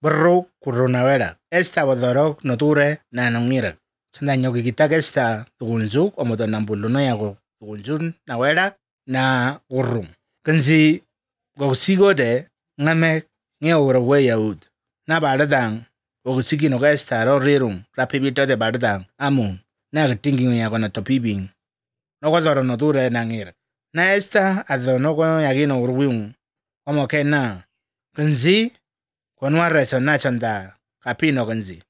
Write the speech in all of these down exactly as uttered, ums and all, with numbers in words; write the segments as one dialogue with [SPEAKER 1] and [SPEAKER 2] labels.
[SPEAKER 1] Berro kurunawera. Esta bodorok noture na nongira. Sanda nyogi kita esta tugunjuk omoto nambulu no yago tugunjun na wera na urrum. Kanzi go sigo de ngame nge ora we yaud. Na baradang go sigi no esta ro rirum rapibito de baradang amun. Na tingi yago na topibing. No go zoro noture na ngira. Na esta adho no go yagino urwim. Omo ke na kanzi konwa reso na chanda kapino kanzi.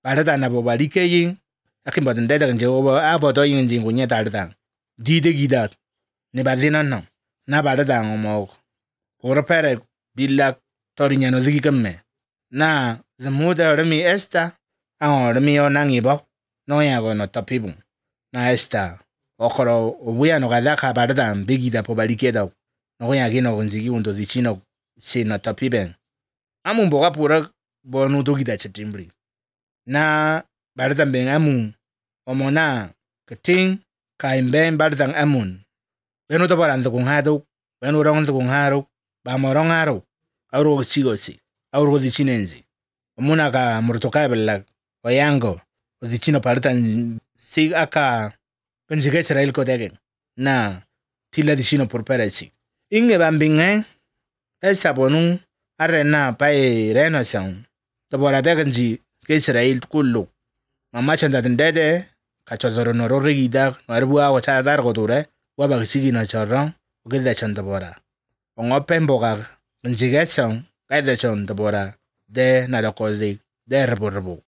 [SPEAKER 1] Barada na bobalike yin akin badin deda kanji oba abodo yin jin kunya darda. Dide gidat ne badina no. Na barada omo ora pere billa torinya no digi kamme. Na the muda remi esta ang remi o nangi bok no yago no topibung. Na esta okoro obuya no gadaka barada bigida pobalike daw. No yagino kanzi undo di chino si no topiben. Amun boga pura bonu to gida chetimbri. Na bardan ben amun omona keting kaimben bardan amun. Benu to baran to kung hado, benu rong to kung haro, ba morong haro. Auro chigo si, auro di chinenzi. Omuna ka murtoka belag, wayango, o di chino partan sig aka penjige cherail ko degen. Na tila di chino por peresi. Inge bambinge esta bonu arena pai reno sang to bora deganji ke Israel kullu mama chanda dende ka chozoro no rigida marbu awa cha dar godure wa ba sigi na charran o ke da chanda bora ongo pembo ga njiga sang ka da chanda bora de na da ko de de rebo rebo